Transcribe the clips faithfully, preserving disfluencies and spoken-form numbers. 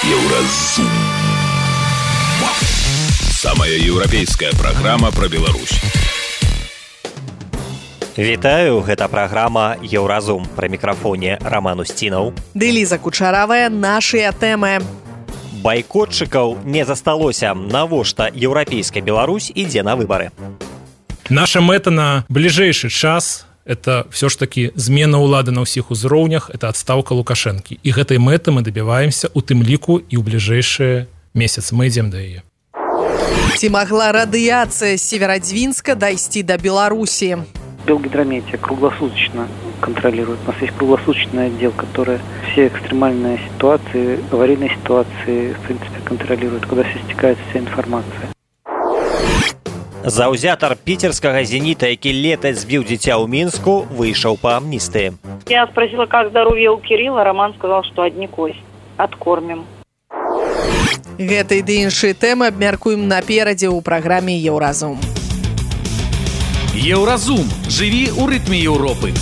Еўразум. Самая еўрапейская праграма пра Беларусь. Вітаю, гэта праграма Еўразум. Пры мікрафоне Роман Устінаў. Ды Ліза Кучаравая, нашыя тэмы. Байкотчыкаў не засталося. Навошта еўрапейская Беларусь ідзе на выбары? Наша мэта на бліжэйшы час – это все ж таки змена ўлады на ўсіх узроўнях, это адстаўка Лукашэнкі. І гэтай мэты мы дабіваемся у тым ліку і ў бліжэйшыя месяцы. Мы ідзем да яе. Ці магла радыяцыя з Северодвинска дайсці да Беларусі? Белгидрометия круглосуточно контролирует. У нас есть круглосуточный отдел, который все экстремальные ситуации, аварийные ситуации, в принципе, контролирует, куда все стекается вся информация. Заўзятар піцерскага «Зенита», які летась збіў дзіця ў Мінску, выйшаў па амністыі. Я спросила, как здоровье у Кирилла. Роман сказал, что одни кости. Откормим. Гэтай ды іншыя тэмы абмяркуем наперадзе ў праграме «Еўразум». Еўразум. Жыві ў рытме Еўропы.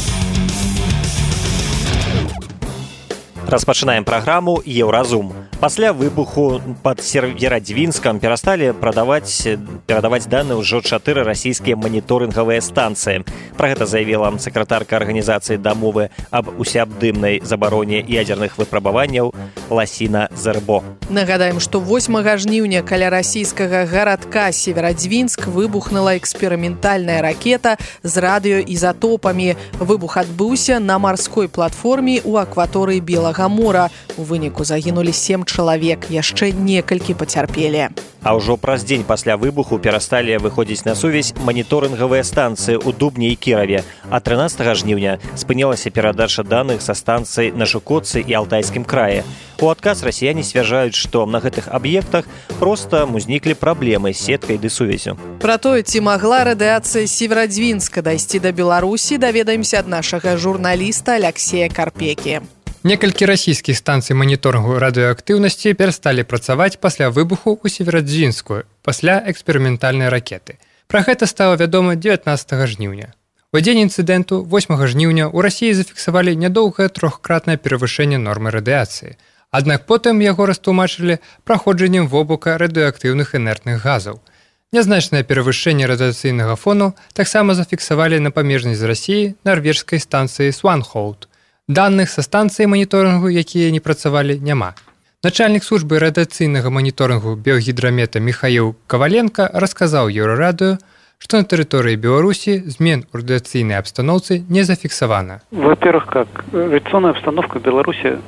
Распачынаем праграму «Еўразум». Пасля выбуху пад Северодвинскам перасталі прадаваць, перадаваць даныя ўжо чатыры расійскія маніторынгавыя станцыі. Пра гэта заявіла сакратарка арганізацыі дамовы аб усеабдымнай забароне ядзерных выпрабаванняў Ласіна Зербо. Нагадаем, што восьмага жніўня каля расійскага гарадка Северодвинск выбухнула эксперыментальная ракета з радыёізатопамі. Выбух адбыўся на марской платформе ў акваторыі Белага мора. У выніку загінулі сем чалавек, яшчэ некалькі пацярпелі. А ўжо праз дзень пасля выбуху перасталі выходзіць на сувязь маніторынгавыя станцыі ў Дубні і Кіраве, а трынаццатага жніўня спынілася перадача даных са станцый на Жукотцы і Алтайскім краі. У адказ расіяне сцвярджаюць, што на гэтых аб'ектах проста узніклі праблемы з сеткай ды сувязю. Пра тое, ці магла радыяцыя з Северодвинска дайсці да Беларусі, даведаемся ад нашага журналіста Аляксея Карпекі. Некалькі расійскіх станцый маніторынгу радыеактыўнасці перасталі працаваць пасля выбуху ў Северодвинску, пасля эксперыментальнай ракеты. Пра гэта стала вядома дзевятнаццатага жніўня. У дзень інцыдэнту восьмага жніўня ў Расіі зафіксавалі нядоўгае трохкратнае перавышэнне нормы радыяцыі. Аднак потым яго растлумачылі праходжаннем вобука радыеактыўных інертных газаў. Нязначнае перавышэнне радыяцыйнага фону таксама зафіксавалі на памежнай з Расіі нарвежскай станцыі Сванхоўт. Даных са станцыі маніторынгу, якія не працавалі, няма. Начальнік службы радыяцыйнага маніторынгу Белгідрамета Міхаіл Каваленка расказаў Еўрарадыё, што на тэрыторыі Беларусі змен у радыяцыйнай абстаноўцы не зафіксавана. Во-первых, как радиационная обстановка в Беларуси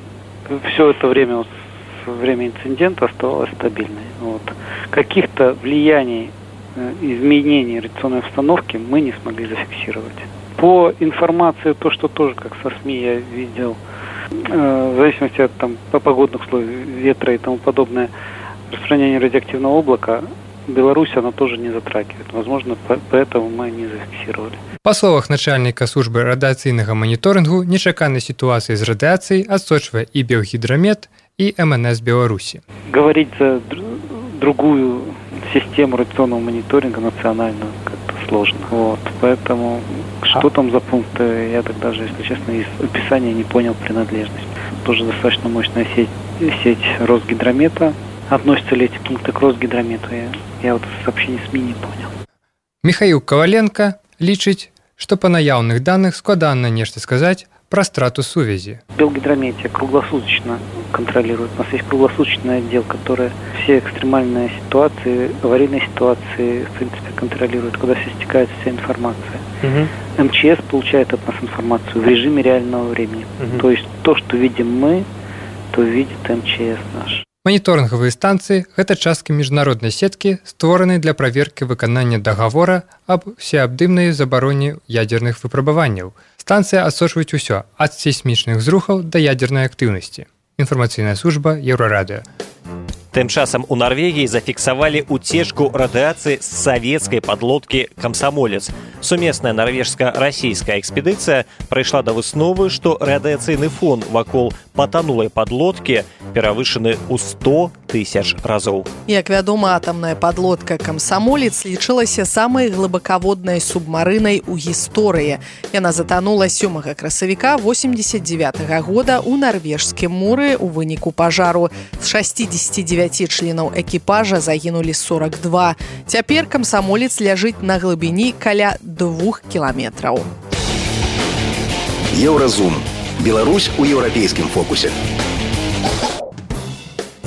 все это время, со время инцидента, оставалась стабильной. Вот. Каких-то влияний, изменений радиационной обстановки мы не смогли зафиксировать. По информации, то, что тоже, как со СМИ я видел, э, в зависимости от там, погодных условий, ветра и тому подобное, распространение радиоактивного облака, Беларусь она тоже не затрагивает. Возможно, поэтому мы не зафиксировали. Па словах начальніка службы радыацыйнага маніторынгу, нечаканай сітуацыі з радыяцыяй адсочвае і Белгідрамет, і эм эн эс Беларусі. Говорить за другую систему радиационного мониторинга национальную как-то сложно. Вот. Поэтому что там за пункты, я так даже, если честно, из описания не понял принадлежность. Тоже достаточно мощная сеть, сеть Росгидромета. Относятся ли эти пункты к Росгидромету? Я, я вот сообщение СМИ не понял. Михаил Коваленко лічыць, што па наяўных даных складана нешта сказаць про страту сувязі. Белгидрометия круглосуточно контролирует. У нас есть круглосуточный отдел, который все экстремальные ситуации, аварийные ситуации, в принципе, контролирует, куда все стекается вся информация. Угу. эм че эс получает от нас информацию в режиме реального времени. Угу. То есть то, что видим мы, то видит эм че эс наш. Маніторынгавыя станцыі – гэта частка міжнароднай сеткі, створанай для праверкі выканання дагавора аб усеабдымнай забароне ядзерных выпрабаванняў. Станцыя адсочваюць усё, ад сейсмічных зрухаў да ядзернай актыўнасці. Інфармацыйная служба Еўрарадыё. Тым часам у Нарвегіі зафіксавалі уцечку радыяцыі з савецкай падлодкі «Камсамолец». Сумесная нарвежска-расійская экспедыцыя прыйшла да высновы, што радыяцыйны фон вакол патанулай падлодкі перавышаны ў сто тысяч разоў. Як вядома, атамная падлодка «Камсамолец» лічылася самай глыбакаводнай субмарынай у гісторыі. Яна затанула сёмага красавіка восемьдесят девятого года ў нарвежскім моры ў выніку пажару. З шестидесяти девяти членаў экіпажа загінулі сорок два. Цяпер «Камсамолец» ляжыць на глыбіні каля двух кіламетраў. Еўразум. Беларусь у еўрапейскім фокусе.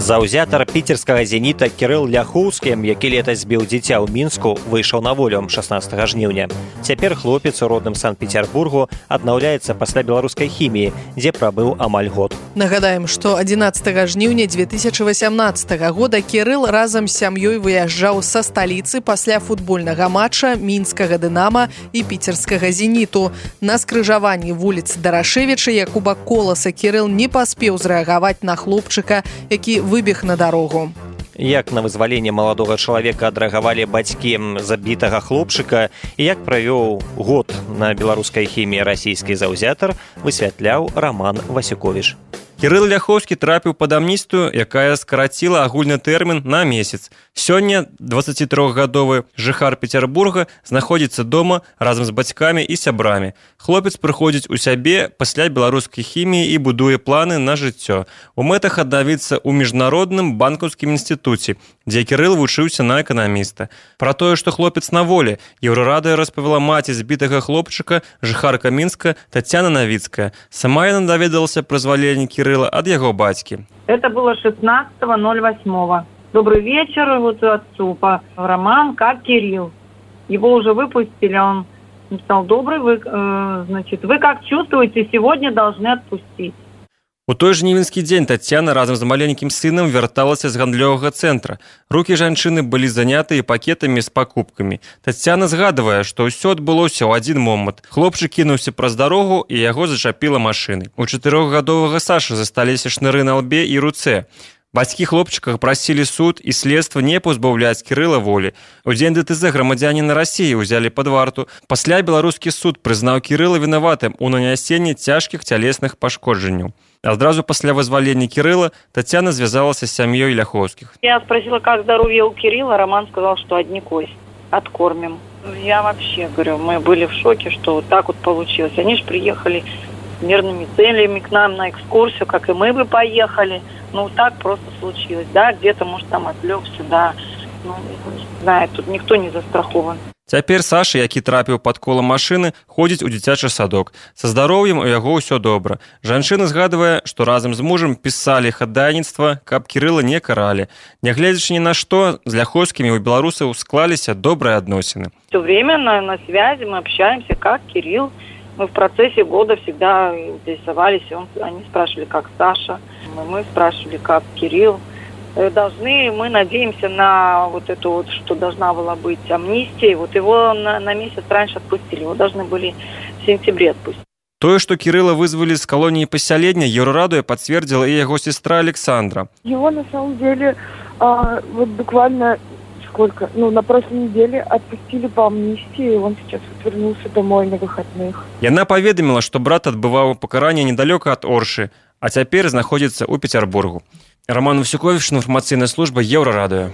Заўзятар піцерскага «Зеніта» Кірыл Ляхоўскі, які летась збіў дзіця ў Мінску, выйшаў на волю шаснаццатага жніўня. Цяпер хлопец у родным Санкт-Петербургу аднаўляецца пасля беларускай хіміі, дзе прабыў амаль год. Нагадаем, што адзінаццатага жніўня две тысячи восемнадцатого года Кірыл разам з сям'ёй выязджаў са сталіцы пасля футбольнага матча мінскага «Дынама» і піцерскага «Зеніту». На скрыжаванні вуліц Дарашевіча Якуба Коласа Кірыл не паспеў зрэагаваць на хлопчыка, які выбег на дарогу. Як на вызваленне маладога чалавека адрэагавалі бацькі забітага хлопчыка і як правёў год на беларускай хіміі расійскі заўзятар, высвятляў Роман Васюковіч. Кірыл Ляхоўскі трапіў пад амністыю, якая скараціла агульны тэрмін на месяц. Сёння дваццацітрохгадовы жыхар Петербурга знаходзіцца дома разам з бацькамі і сябрамі. Хлопец прыходзіць у сябе пасля беларускай хіміі і будуе планы на жыццё. У мэтах аднавіцца ў міжнародным банкаўскім інстытуце, дзе Кірыл вучыўся на эканаміста. Пра тое, што хлопец на волі, Еўрарадыё распавяла маці збітага хлопчыка, жыхарка Мінска Тацяна Навіцкая. Сама яна даведалася пра зваленне Кірыла от его батьки. Это было шестнадцатого ноль восьмого. Добрый вечер вот отцу по Роман, как Кирилл. Его уже выпустили, он написал: добрый, вы, э, значит, вы как чувствуете, сегодня должны отпустить. У той жнівеньскі дзень Тацяна разам з маленькім сынам вярталася з гандлёвага цэнтра. Рукі жанчыны былі занятыя пакетамі з пакупкамі. Тацяна згадвае, што ўсё адбылося ў адзін момант. Хлопчык кінуўся праз дарогу і яго зачапіла машынай. У чатырохгадовага Сашы засталіся шныры на лбе і руцэ. Бацькі хлопчыка прасілі суд і следства не пазбаўляць Кірыла волі. У дзень ДТЗ грамадзяніна Расіі ўзялі пад варту. Пасля беларускі суд прызнаў Кірыла вінаватым у нанясенні цяжкіх цялесных пашкоджанняў. Адразу пасля вызвалення Кирилла Татьяна связалась с семьей Ляховских. Я спросила, как здоровье у Кирилла. Роман сказал, что одни кости. Откормим. Я вообще говорю, мы были в шоке, что вот так вот получилось. Они же приехали с мирными целями к нам на экскурсию, как и мы бы поехали. Ну, так просто случилось. Да, где-то, может, там отвлекся, да. Ну, не знаю, тут никто не застрахован. Цяпер Саша, які трапіў пад кола машыны, ходзіць у дзіцячы садок. Са здароўем у яго ўсё добра. Жанчына згадвае, што разам з мужам пісалі хадайніцтва, каб Кірыла не каралі. Нягледзячы ні на што, з Ляховскімі у беларусаў склаліся добрыя адносіны. Все время на, на связи мы общаемся, как Кирилл. Мы в процессе года всегда интересовались. Он, они спрашивали, как Саша. Мы, мы спрашивали, как Кирилл. Должны, мы надеемся на вот эту вот, что должна была быть амнистия. Вот его на, на месяц раньше отпустили. Его должны были в сентябре отпустить. Тое, что Кирилла вызвали с колонии поселения, Еўрарадыё подтвердила и его сестра Александра. Его на самом деле а, вот буквально сколько, ну на прошлой неделе отпустили по амнистии, и он сейчас вот вернулся домой на выходных. Яна поведомила, что брат отбывал покарание недалеко от Орши, а теперь находится у Петербургу. Роман Васюкович, информаційная служба Еўрарадыё.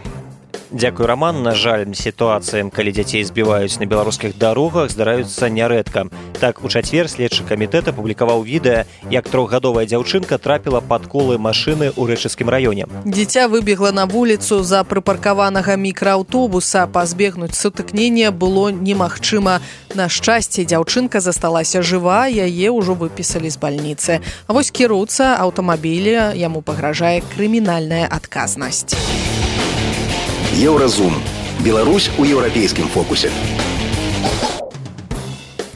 Дзякуй, Роман. На жаль, сітуацыям, калі дзяцей збіваюць на беларускіх дарогах, здараюцца нярэдка. Так, у чацвер следчы камітэт апублікаваў відэа, як трохгадовая дзяўчынка трапіла пад колы машыны ў рэчыцкім раёне. Дзіця выбегла на вуліцу за прыпаркаванага мікрааўтобуса. Пазбегнуць сутыкнення было немагчыма. На шчасце, дзяўчынка засталася жыва, яе ўжо выпісалі з бальніцы. А вось кіроўца аўтамабіля, яму пагражае крымінальная адказнасць. Еўразум. Беларусь у еўрапейскім фокусе.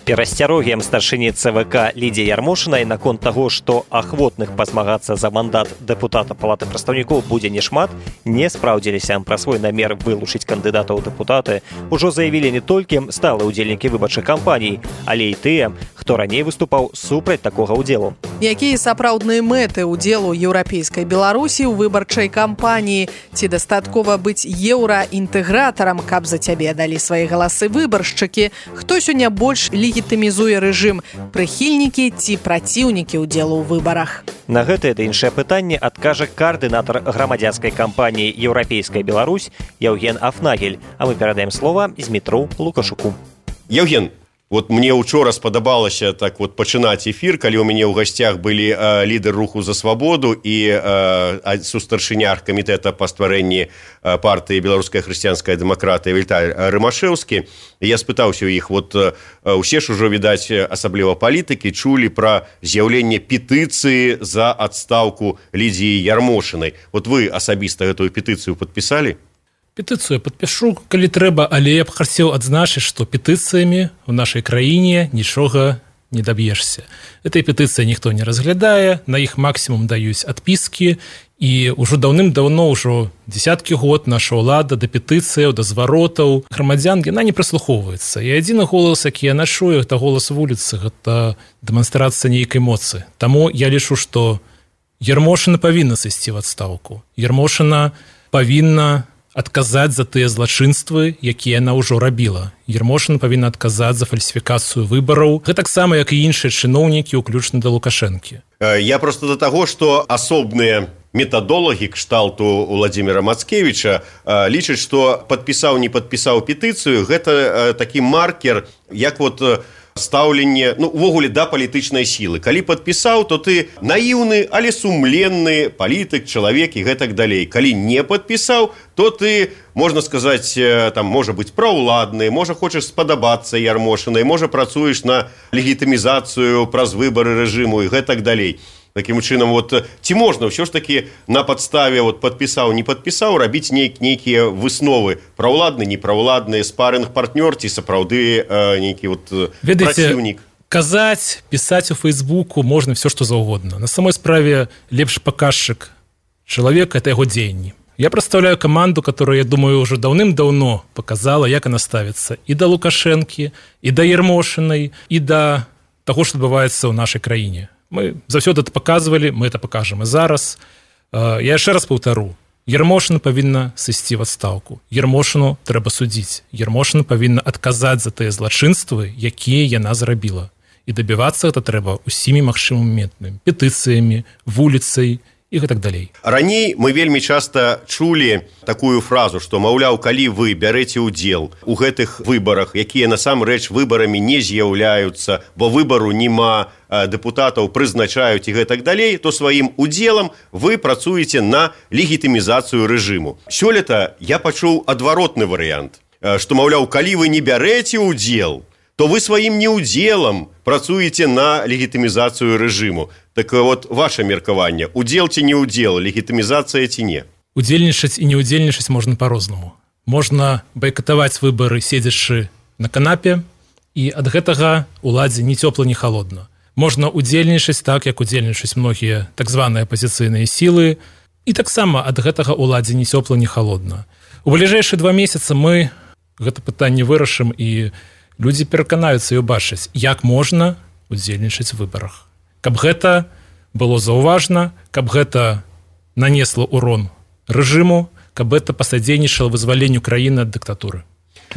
Перасцярогiem старшыні ЦВК Лідзіі Ярмошынай наконт таго, што ахвотных пазмагацца за мандат дэпутата Палаты прадстаўнікоў будзе нешмат, не спраўдзіліся. Пра свой намер вылучыць кандыдатаў у дэпутаты ужо заявілі не толькі сталыя ўдзельнікі выбарчых кампаній, але і тыя, хто раней выступаў супраць такога ўдзелу. Якія сапраўдныя мэты ўдзелу еўрапейскай Беларусі ў выбарчай кампаніі? Ці дастаткова быць еўраінтэгратарам, каб за цябе далі свае галасы выбаршчыкі? Хто сёння больш легітымізуе рэжым, прыхільнікі ці праціўнікі ўдзелу ў выбарах? На гэтае да іншае пытанне адкажа каардынатар грамадзянскай кампаніі «Еўрапейская Беларусь» Яўген Афнагель. А мы перадаем слова Змітру Лукашуку. Яўген, вот мне учора спадабалася так вот пачынаць эфір, калі ў мяне ў гасцях былі э, лідар руху за свабоду і э, сустаршыня камітэта па стварэнні э, партыі беларуская хрысціянская дэмакратыя Віталь Рымашэўскі. Я спытаўся ў іх, вот э, усе ж ужо, відаць, асабліва палітыкі чулі пра з'яўленне петыцыі за адстаўку Лідзіі Ярмошынай. Вот вы асабіста гэтую петыцыю падпісалі? Петыцыю падпішу, калі трэба, але я б хацеў адзначыць, што петыцыямі ў нашай краіне нічога не даб'ешся. Этой петыцыі ніхто не разглядае, на іх максімум даюць адпіскі, і ўжо даўным-даўно, ўжо дзесяткі год наша ўлада да петыцыяў, да зваротаў грамадзян, яна не прыслухоўваецца. І адзіны голас, які яна чуе, гэта голас вуліцы, гэта дэманстрацыя нейкай моцы. Таму я лічу, што Ярмошына павінна сысці ў адстаўку. Ярмошына павінна адказаць за тыя злачынствы, якія яна ўжо рабіла. Ярмошына павінна адказаць за фальсіфікацыю выбараў. Гэтаксама, як і іншыя чыноўнікі, уключна да Лукашэнкі. Я просто да таго, што асобныя метадолагі кшталту Уладзіміра Мацкевіча лічаць, што падпісаў, не падпісаў петыцыю, гэта такі маркер, як вот стаўленне, ну, увогуле, да палітычнай сілы. Калі падпісаў, то ты наіўны, але сумленны палітык, чалавек і гэтак далей. Калі не падпісаў, то ты, можна сказаць, там, можа быць праўладны, можа хочаш спадабацца Ярмошынай, можа працуеш на легітымізацыю праз выбары рэжыму і гэтак далей. Такім чынам, вот, ці можна ўсё ж такі на падставе вот, падпісаў, не падпісаў, рабіць нейк, нейкія высновы, праўладны, непраўладны, спарынг-партнёр ці сапраўды э, нейкі вот, праціўнік? Казаць, пісаць у Фейсбуку можна все, што заўгодна. На самой справе лепшы паказчык чалавека – это яго дзеянні. Я прадстаўляю каманду, которая, я думаю, уже даўным-даўно показала, як она ставіцца і да Лукашэнкі, і да Ярмошынай, і да таго, што адбываецца ў нашай краіне. Мы заўсёды это паказвалі, мы это пакажам і зараз. Я яшчэ раз паўтару. Ярмошына павінна сысці ў адстаўку. Ярмошыну трэба судзіць. Ярмошына павінна адказаць за тыя злачынствы, якія яна зрабіла. І дабівацца гэта трэба усімі магчымымі метамі, петыцыямі, вуліцай і гэтак далей. Раней мы вельмі часта чулі такую фразу, што, маўляў, калі вы бярэце ўдзел у гэтых выбарах, якія насамрэч выбарамі не з'яўляюцца, бо выбару нема, дэпутатаў прызначаюць і гэтак далей, то сваім удзелам вы працуеце на легітымізацыю рэжыму. Сёлета я пачуў адваротны варыянт, што, маўляў, калі вы не бярэце ўдзел, то вы сваім неудзелам працуеце на легітымізацыю рэжыму. Так вот, ваше меркаванне, удзел ці не удзел, легітымізацыя ці не? Удзельнічаць і не удзельнічаць можна па-рознаму. Можна байкатаваць выбары, седзячы на канапе, і ад гэтага уладзе ні цёпла, ні халодна. Можна удзельнічаць так, як удзельнічаць многія так званыя апазіцыйныя сілы, і таксама ад гэтага уладзе ні цёпла, ні халодна. У бліжэйшыя два месяцы мы гэта пытанне вырашым, і людзі пераканаюцца і ўбачаць, як можна удзельнічаць у выбарах. Каб гэта было заўважна, каб гэта нанесла ўрон рэжыму, каб гэта пасадзейнічала вызваленню краіны ад дыктатуры.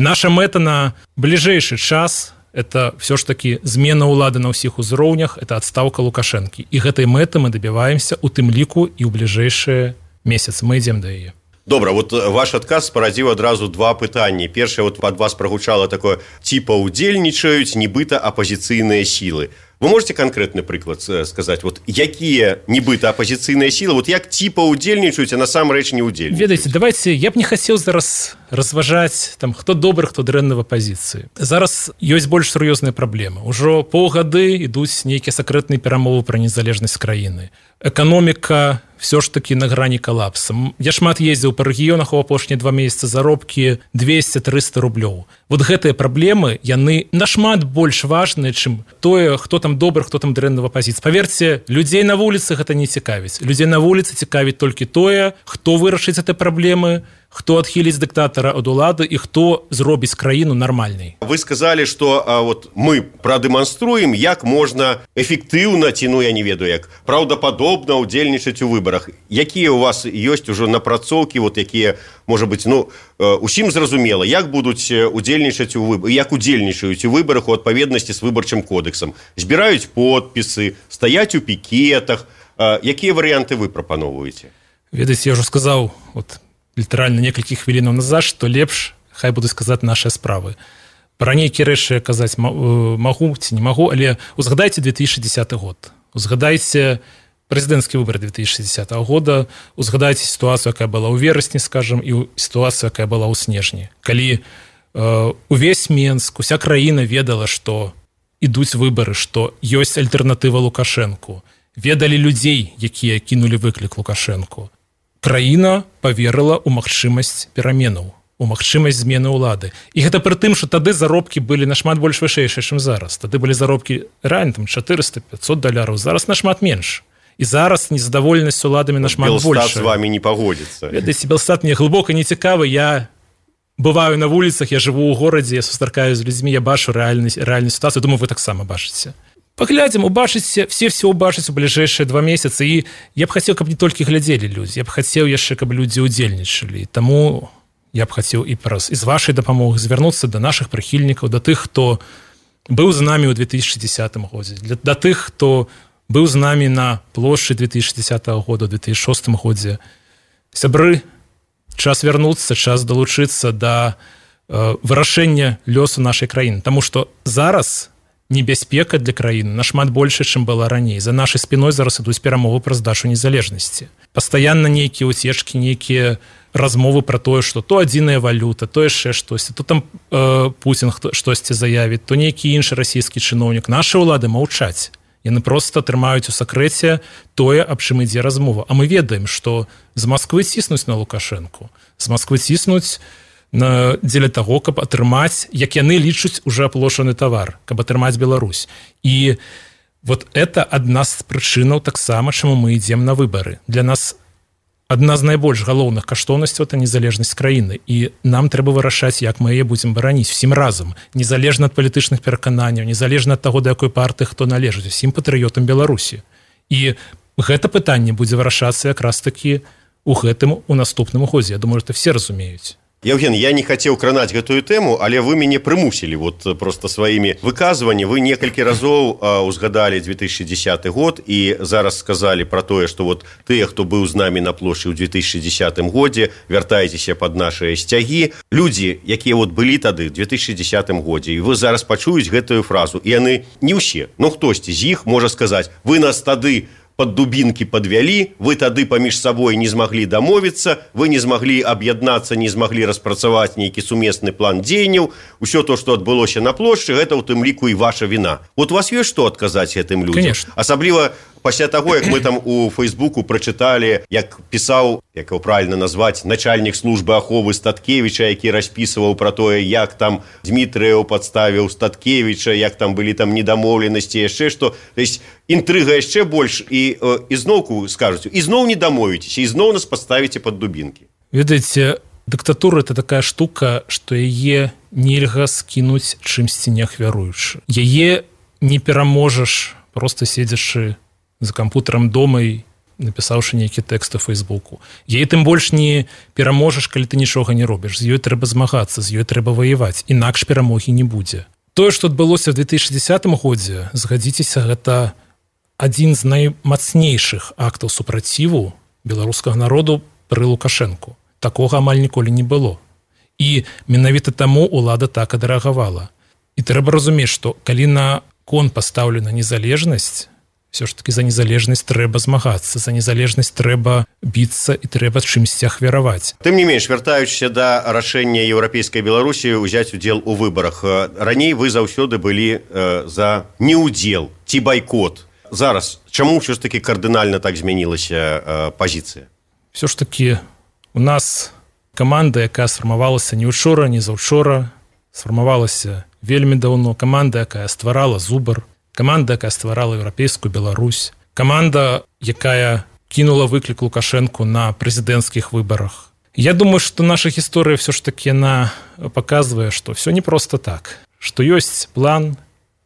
Наша мэта на бліжэйшы час – это все ж таки змена ўлады на ўсіх узроўнях, это адстаўка Лукашэнкі. І гэтай мэты мы дабіваемся у тым ліку і ў бліжэйшыя месяцы. Мы ідзем да яе. Добра, вот ваш адказ спарадзіў адразу два пытанні. Першае, вот ад вас прагучала такое, типа удзельнічаюць нібыта апазіцыйныя сілы. Вы можете конкретны прыклад сказаць, вот якія нібыта апазіцыйныя сілы, вот як типа удзельнічаюць, а насамрэч не удзельнічаюць? Ведаеце, давайте, я б не хацеў зараз разважаць, там, хто добры, хто дрэнны в апазіцыі. Зараз ёсць больш сур'ёзныя праблемы. Ужо паўгады ідуць нейкія сакрэтныя перамовы пра незалежнасць краіны. Эканоміка все ж таки на грани калапса. Я шмат ездзіў па рэгіёнах у апошнія два месяцы, заробкі двести триста рублёў. Вот гэтыя праблемы, яны нашмат больш важныя, чым тое, хто там добры, хто там дрэнны в апазіцыі. Паверце, людзей на вуліцы гэта не цікавіць. Людзей на вуліцы цікавіць толькі тое, хто вырашыць гэтыя праблемы, хто адхіліць дыктатара ад улады і хто зробіць краіну нармальнай. Вы сказалі, што а, вот мы прадэманструем, як можна эфектыўна, ці ну я не ведаю, як праўдападобна ўдзельнічаць у выбарах. Якія у вас ёсць ужо напрацоўкі, вот якія, можа быць, ну усім зразумела, як будуць удзельнічаць у выбарах, як удзельнічаюць у выбарах у адпаведнасці з выбарчым кодэксам. Збіраюць подпісы, стаяць у пікетах. А, якія варыянты вы прапаноўваеце? Ведаеце, я ўжо сказаў, вот літаральна некалькі хвілінаў назад, што лепш хай буду сказаць нашыя справы. Пра нейкія рэчы казаць магу ці не магу, але узгадайце две тысячи десятый год. Узгадайце прэзідэнцкі выбар две тысячи десятого года, узгадайце сітуацыю, якая была ў верасні, скажам, і сітуацыю, якая была ў снежні. Калі э, увесь Менск, уся краіна ведала, што ідуць выбары, што ёсць альтэрнатыва Лукашэнку, ведалі людзей, якія кінулі выклік Лукашэнку. Краіна паверыла ў магчымасць пераменаў, у магчымасць змены ўлады. І гэта пры тым, што тады заробкі былі нашмат больш вышэйшыя, чым зараз. Тады былі заробкі рэальна там четыреста пятьсот даляраў, зараз нашмат менш. І зараз незадаволенасць уладамі нашмат больш. Белстат з вами не пагодзіцца. Ведаеце, Белстат мне глыбока не цікавы, я бываю на вуліцах, я жыву ў горадзе, я сустракаю з людзьмі, я бачу рэальную сітуацыю, думаю, вы таксама бачыце. Паглядзім, убачыце, все все убачыць у бліжэйшыя два месяцы, і я б хацеў, каб не толькі глядзелі людзі, я б хацеў яшчэ, каб людзі ўдзельнічалі. Таму я б хацеў і праз і з вашай дапамогай звярнуцца да нашых прыхільнікаў, да тых, хто быў з намі ў две тысячи десятым годзе, да тых, хто быў з намі на плошчы две тысячи десятого года, две тысячи шостым годзе. Сябры, час вярнуцца, час далучыцца да э, вырашэння лёсу нашай краіны, таму што зараз небяспека для краіны нашмат больше, чым была раней. За нашай спіной зараз ідуць перамовы пра здачу незалежнасці. Пастаянна нейкія уцечкі, нейкія размовы пра тое, што то адзіная валюта, то яшчэ штосьці, то там э, Путін штосьці заявіць, то нейкі іншы расійскі чыноўнік. Нашы ўлады маўчаць. Яны проста трымаюць у сакрэце тое, аб чым ідзе размова. А мы ведаем, што з Масквы ціснуць на Лукашэнку, з Масквы ціснуць на дзеля таго, каб атрымаць, як яны лічаць уже аплошаны тавар, каб атрымаць Беларусь. І вот это адна з прычынаў таксама, чаму мы ідзем на выбары. Для нас адна з найбольш галоўных каштоўнасцяў — это незалежнасць краіны. І нам трэба вырашаць, як мы яе будзем бараніць усім разам, незалежна ад палітычных перакананняў, незалежна ад таго, да якой партыі хто належыць, усім патрыётам Беларусі. І гэта пытанне будзе вырашацца якраз такі у гэтым у наступным годзе. Я думаю, это все разумеюць. Евген, я не хацеў кранаць гэтую тэму, але вы мяне прымусілі вот просто сваімі выказванні. Вы некалькі разоў узгадалі две тысячи десятый год і зараз сказалі пра тое, што вот тыя, хто быў з намі на плошчы ў две тысячи десятым годзе, вяртайцеся пад нашыя сцягі. Людзі, якія вот былі тады ў две тысячи десятым годзе, і вы зараз пачуюць гэтую фразу, і яны не ўсе, но хтосьці з іх можа сказаць: вы нас тады под дубінкі падвялі, вы тады паміж сабой не змаглі дамовіцца, вы не змаглі аб'яднацца, не змаглі распрацаваць нейкі сумесны план дзеянняў, усё то, што адбылося на плошчы, гэта ў тым ліку і ваша віна. Вот у вас ёсць што адказаць гэтым людзям? Конечно. Асабліва пасля таго, як мы там у Фейсбуку прачыталі, як пісаў, як его правильно назваць, начальнік службы аховы Статкевіча, які распісваў пра тое, як там Дмітрыеў падставіў Статкевіча, як там былі там недамоўленасці, яшчэ што. То есть інтрыга яшчэ больш, і, і зноўку скажуць, і зноў не дамовіцеся, і зноў нас паставіце пад дубінкі. Ведаеце, дыктатура — это такая штука, што яе нельга скінуць чымсьці не ахвяруючы. Яе не пераможаш, просто седзячы за кампутарам дома і напісаўшы нейкі тэкст у Фейсбуку. Яе тым больш не пераможаш, калі ты нічога не робіш. З ёй трэба змагацца, з ёй трэба ваяваць, інакш перамогі не будзе. Тое, што адбылося ў две тысячи десятым годзе, згадзіцеся, гэта адзін з наймацнейшых актаў супраціву беларускага народу пры Лукашэнку. Такога амаль ніколі не было. І менавіта таму ўлада так адрэагавала. І трэба разумець, што калі на кон пастаўлена незалежнасць, все ж таки за незалежнасць трэба змагацца, за незалежнасць трэба біцца і трэба чымсьці ахвяраваць. Тым не менш, вяртаючыся да рашэння еўрапейскай Беларусі ўзяць удзел у выбарах, раней вы заўсёды былі э, за неудзел ці байкот. зараз чаму ўсё ж таки кардынальна так змянілася пазіцыя? Все ж таки у нас каманда, якая сфармавалася не учора, не заўчора, сфармавалася вельмі даўно, каманда, якая стварала Зубар, каманда, якая стварала еўрапейскую Беларусь, каманда, якая кинула выклік Лукашенку на прэзідэнцкіх выбарах. Я думаю, что наша гісторыя все ж таки она показывае, что все не просто так, что ёсць план,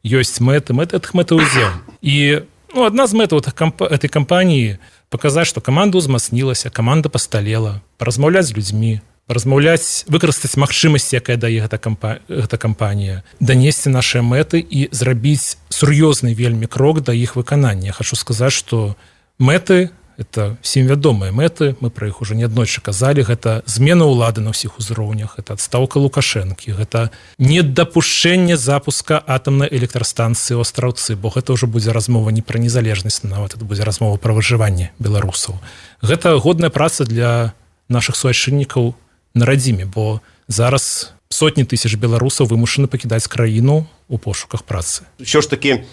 ёсць мэты, мэты этих мэтаўдзел. І ну, одна з мэтаў этой кампаніі показаць, что команда ўзмацнілася, команда пасталела, паразмаўляць з людзьмі, размаўляць, выкарыстаць магчымасці, якая дае гэта, кампа... гэта кампанія, данесці нашыя мэты і зрабіць сур'ёзны вельмі крок да іх выканання. Я хочу сказаць, что мэты это всім вядомыя мэты, мы пра іх уже неаднойчы казалі, гэта змена ўлады на ўсіх узроўнях, это адстаўка Лукашэнкі, гэта недапушчэнне запуска атамнай электрастанцыі ў Астраўцы, бо гэта ўжо будзе размова не пра незалежнасць, нават это будзе размова пра выжыванне беларусаў. Гэта годная праца для нашых суайчыннікаў на радзіме, бо зараз сотні тысяч беларусаў вымушаны пакідаць краіну ў пошуках працы. Усё ж таки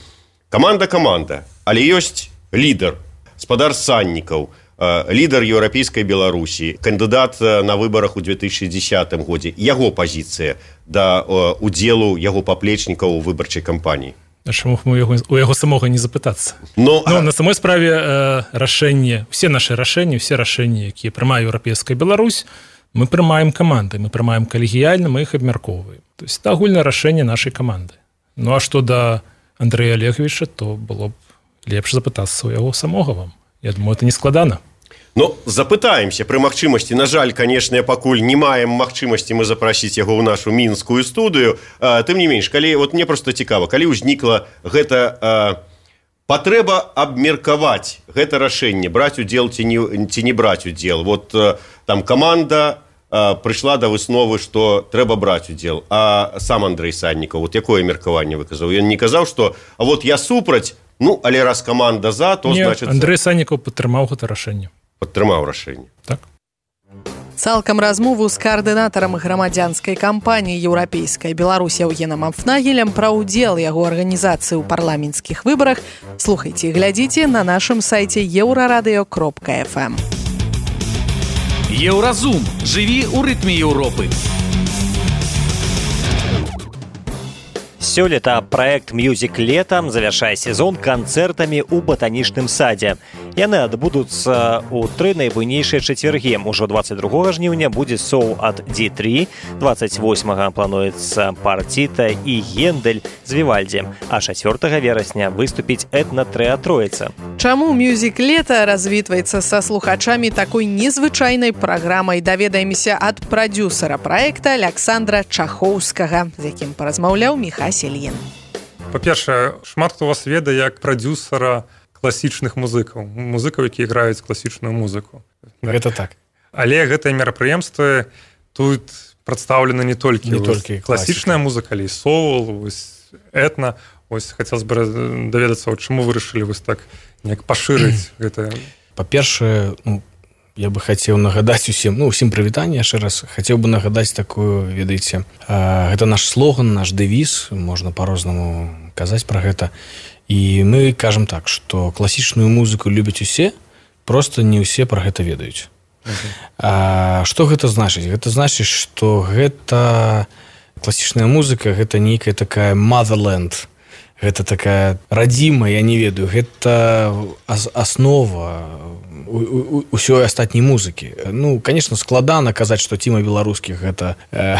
каманда-каманда, але ёсць лідар, спадар Саннікаў, лідар еўрапейскай Беларусі, кандыдат на выбарах у две тысячи десятым годзе. Яго пазіцыя да удзелу яго паплечнікаў у выбарчай кампаніі. А чаму мы яго, у яго самога не запытацца? Но, ну, на самой справе э, рашэнне, все наши рашэнні, все рашэнні, якія прымае еўрапейская Беларусь, мы прымаем каманды, мы прымаем калегіяльна, мы іх абмяркоўваем. То есть это агульнае рашэнне нашай каманды. Ну а што да Андрэя Олеговича, то было б лепш запытацца ў яго самога вам. Я думаю, это не складана. Ну, запытаемся пры магчымасці. На жаль, канешне, пакуль не маем магчымасці мы запрасіць яго ў нашу мінскую студыю. А, тым не менш, калі вот мне просто цікава, калі ўзнікла гэта а, патрэба абмеркаваць гэта рашэнне, браць удзел ці не, ці не браць удзел. Вот а, там каманда а, прыйшла да высновы, што трэба браць удзел. А сам Андрэй Саннікаў, вот якое меркаванне выказаў? Ён не казаў, што а вот я супраць, ну, але раз каманда за, то не, значит... Андрэй Саннікаў падтрымаў гэта рашэнне. Падтрымаў рашэнне. Так. Цалкам размову з каардынатарам грамадзянскай кампаніі «Еўрапейская Беларусь» Яўгенам Амфнагелем пра ўдзел яго арганізацыі ў парламенцкіх выбарах слухайце і глядзіце на нашым сайце еўрарадыё кропка эф эм. Еўразум. Жыві ў рытме Еўропы. Сёлета праект «Мьюзик Лета» завяршае сезон канцэртамі ў батанічным садзе. Яны адбудуцца ў тры найбуйнейшыя чацвяргі. Ужо двадцать другога жніўня будзе соў ад ди три, двадцать восьмага плануецца «Партита» і «Гендель» з Вівальдзі, а чацвёртага верасня выступіць этна-трыа «Троіца». Чаму «Мьюзик Лета» развітваецца са слухачамі такой незвычайнай праграмай, даведаемся ад прадюсара праекта Александра Чахоўскага, з якім паразмаўляў Міхась Ільін. Па-першае, шмат хто вас ведае як прадюсара класічных музыкаў, музыкаў, якія граюць класічную музыку. Гэта так. Але гэтыя мерапрыемствы тут прадстаўлены не толькі, не толькі класічная музыка, але і соул, этна. Ось хацелось бы даведацца, чаму вырашылі вось так неяк пашырыць гэта. Па-першае, ну, я бы хацеў нагадаць усім, ну, усім прывітанне яшчэ раз. Хацеў бы нагадаць такую, ведаеце, гэта наш слоган, наш дэвіз, можна па-рознаму казаць пра гэта. І мы кажам так, што класічную музыку любяць усе, просто не ўсе пра гэта ведаюць. Uh-huh. А, што гэта значыць? Гэта значыць, што гэта класічная музыка, гэта нейкая такая motherland, гэта такая радзіма, я не ведаю, гэта аснова ўсёй астатняй музыкі. Ну, конечно, складана казаць, што Ціма Беларускіх гэта э,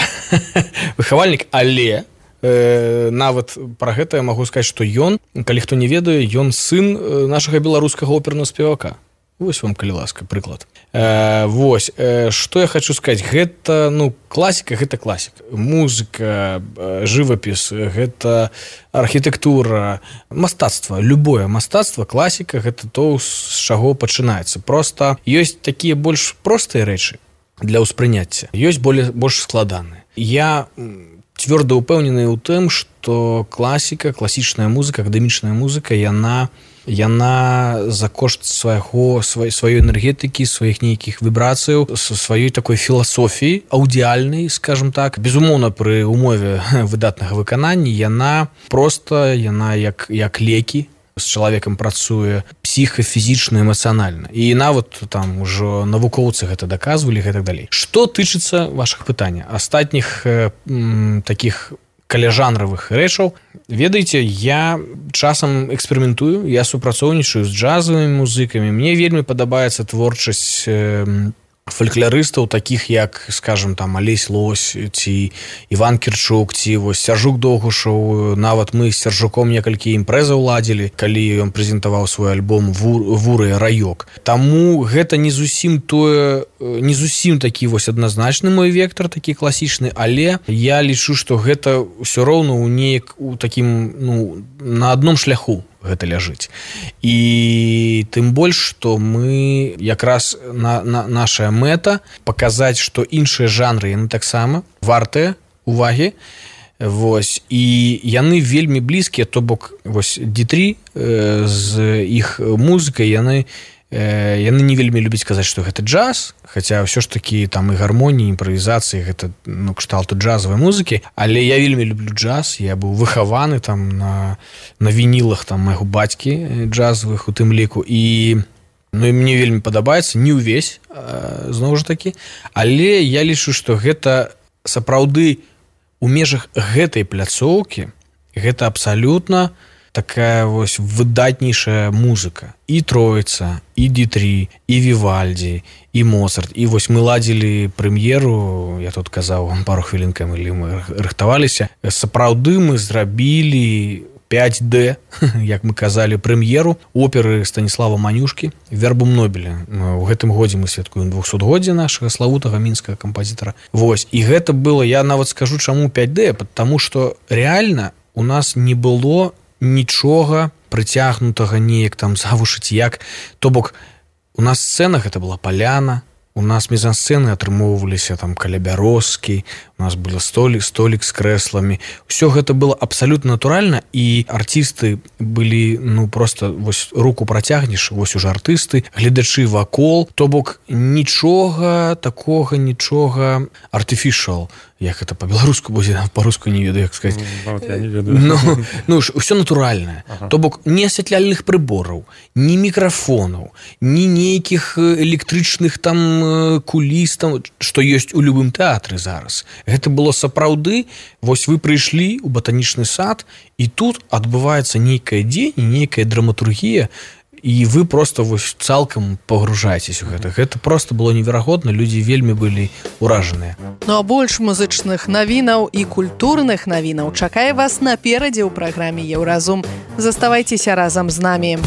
выхавальнік, але э, нават пра гэта я магу сказаць, што ён, калі хто не ведае, ён сын нашага беларускага опернага спевака. Вось вам, калі ласка, прыклад. Э, вось, э, што я хочу сказаць, гэта, ну, класіка, гэта класіка. Музыка, э, жывапіс, гэта архітэктура, мастацтва, любое мастацтва, класіка, гэта то, з чаго пачынаецца. Проста ёсць такія больш простыя рэчы для ўспрыняцця, ёсць более, больш складаныя. Я цвёрда ўпэўнены ў тым, што класіка, класічная музыка, акадэмічная музыка, яна яна за кошт свайго, свай, сваёй энергетыкі, сваіх нейкіх вібрацыяў, сваёй такой філасофіі, аўдыяльнай, скажем так, безумоўна, пры умове выдатнага выканання, яна проста, яна як, як лекі з чалавекам працуе псіхафізічна, эмацыянальна. І нават там ужо навукоўцы гэта даказвалі, гэтак далей. Што тычыцца вашых пытання, астатніх м, такіх каляжанравых рэчаў, ведаеце, я часам эксперыментую, я супрацоўнічаю з джазавымі музыкамі, мне вельмі падабаецца творчасць э, фальклорыстаў, такіх як, скажем, там Алесь Лось ці Іван Кірчук, ці вось Сяржук Догушаў. Нават мы з Сяржуком некалькі імпрэзаў ладзілі, калі ён прэзентаваў свой альбом «Вуры раёк». Таму гэта не зусім тое, не зусім такі вось адназначны мой вектор, такі класічны, але я лічу, што гэта ўсё роўна ў неяк у такім, ну, на адном шляху гэта ляжыць. І тым больш, што мы якраз на, на наша мэта паказаць, што іншыя жанры яны таксама вартыя увагі. Вось, і яны вельмі блізкія, то бок вось ді тры э, з іх музыкай яны яны не вельмі любяць казаць, што гэта джаз, хаця ўсё ж такі там і гармоніі, імправізацыі, гэта, ну, кшталту джазавай музыкі, але я вельмі люблю джаз, я быў выхаваны там на, на вінілах там майго бацькі джазавых у тым ліку, і ну, і мне вельмі падабаецца, не ўвесь, зноў жа такі, але я лічу, што гэта сапраўды у межах гэтай пляцоўкі, гэта абсалютна такая вось выдатнейшая музыка. І Троіца, і ді тры, і Вівальді, і Моцарт. І вось мы ладзілі прэм'еру, я тут казаў вам пару хвілін, калі мы рыхтаваліся. Сапраўды мы зрабілі пяць дэ, як мы казалі, прэм'еру оперы Станіслава Манюшкі «Вербум Нобеля». У гэтым годзе мы святкуем двухсотгоддзе нашага славутага мінскага кампазітара. Вось, і гэта было, я нават скажу, чаму пяць дэ, потому што рэальна у нас не было нічога прыцягнутага неяк там завушыць як, то бок у нас сцэна гэта была паляна, у нас мезансцэны атрымоўваліся там каля бярозкі, у нас был столік, столік з крэсламі. Усё гэта было абсалютна натуральна, і артысты былі, ну, просто вось руку працягнеш, вось уже артысты, гледачы вакол, то бок нічога такога, нічога artificial, як это па-беларуску будзе, па-руску не ведаю, як сказаць. Ну, я не ведаю. Ну, ну ўсё натуральнае. Ага. То бок ні асвятляльных прыбораў, ні мікрафонаў, ні нейкіх электрычных там куліс, там, што ёсць у любым тэатры зараз. Гэта было сапраўды, вось вы прыйшлі ў батанічны сад, і тут адбываецца нейкае дзеянне, нейкая драматургія, і вы просто вось цалкам пагружаецесь у гэта. Гэта просто было неверагодна, людзі вельмі былі ўражаныя. Ну а больш музычных навінаў і культурных навінаў чакае вас наперадзе ў праграме «Еўразум». Заставайцеся разам з намі.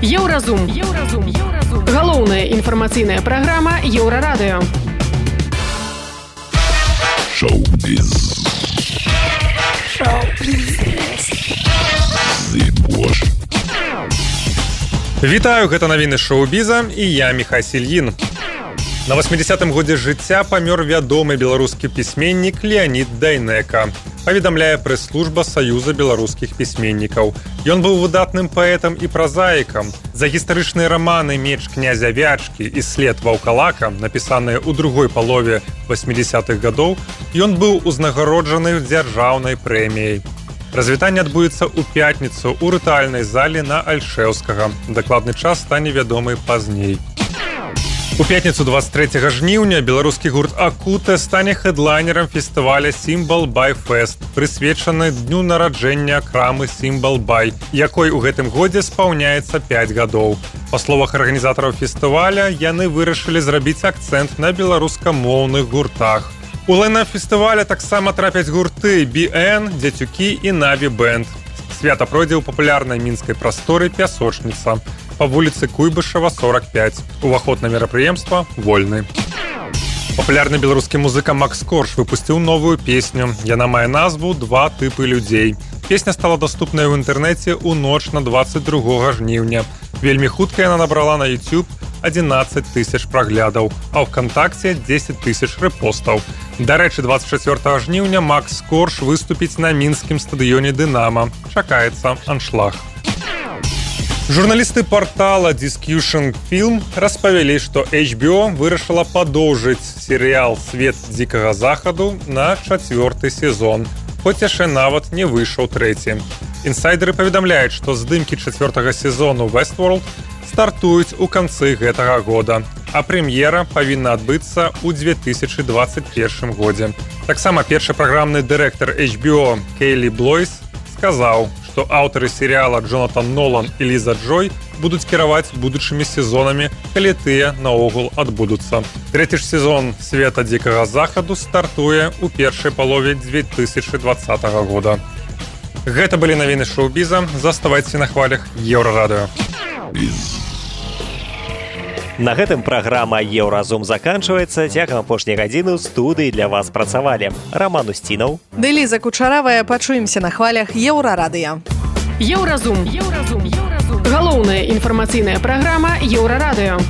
Еўразум. Еўразум. Еўразум. Галоўная інфармацыйная праграма Еўрарадыё. Шоу-біз. Шоу-біз. Зыбош. Вітаю, гэта навіны шоу-біза, і я Міхай Сільін. На восьмідзесятым годзе жыцця памёр вядомы беларускі пісьменнік Леанід Дайнека, паведамляе прэс-служба Саюза беларускіх пісьменнікаў. Ён быў выдатным паэтам і празаікам. За гістарычныя раманы «Меч князя Вячкі» і «След ваўкалака», напісаныя ў другой палове восьмідзесятых гадоў, ён быў узнагароджаны дзяржаўнай прэміяй. Развітанне адбудзецца ў пятніцу ў рытуальнай зале на Альшэўскага. Дакладны час стане вядомы пазней. У пятніцу двадцать трэцяга жніўня беларускі гурт «Акута» стане хэдлайнерам фестываля «Сімбал Бай Фест», прысвечаны дню нараджэння крамы «Сімбал Бай», якой у гэтым годзе спаўняецца пяць гадоў. Па словах арганізатараў фестываля, яны вырашылі зрабіць акцэнт на беларускамоўных гуртах. У лайнап фестываля таксама трапяць гурты «би эн», «Дзецюкі» і «Наві Бэнд». Свята пройдзе ў папулярнай мінскай прасторы «Пясочніца» па вуліцы Куйбышева, сорок пять. Уваход на мерапрыемства вольны. Папулярны беларускі музыка Макс Корж выпусціў новую песню. Яна мае назву «Два тыпы людзей». Песня стала даступная ў інтэрнэце ў ноч на двадцать другога жніўня. Вельмі хутка яна набрала на YouTube одиннадцать тысяч праглядаў, а ў ВКонтакце десять тысяч рэпостаў. Дарэчы, двадцать чацвёртага жніўня Макс Корж выступіць на мінскім стадыёне «Дынама». Чакаецца аншлаг. Журналісты портала Discussion Film распавялі, што эйч би о вырашыла падоўжыць серыял «Свет дзікага захаду» на чацвёрты сезон, хоць яшчэ нават не выйшаў трэці. Інсайдеры паведамляюць, што здымкі чацвёртага сезону Westworld стартуюць у канцы гэтага года, а прэм'ера павінна адбыцца ў две тысячы дваццаць першым годзе. Таксама першы праграмны дырэктар эйч би о Кейлі Блойс сказаў, што аўтары серыяла Джонатан Нолан і Ліза Джой будуць кіраваць будучымі сезонамі, калі тыя наогул адбудуцца. Трэці ж сезон «Света дзікага захаду» стартуе ў першай палове две тысячы двадцатага года. Гэта былі навіны шоу-біза. Заставайцеся на хвалях Еўрарадыё. На гэтым праграма «Еўразум» заканчваецца. Цягам апошняй гадзіны ў студыі для вас працавалі Раман Устінаў, ды Ліза Кучаравая. Пачуемся на хвалях Еўрарадыё. Еўразум. Еўразум. Галоўная інфармацыйная праграма Еўрарадыё.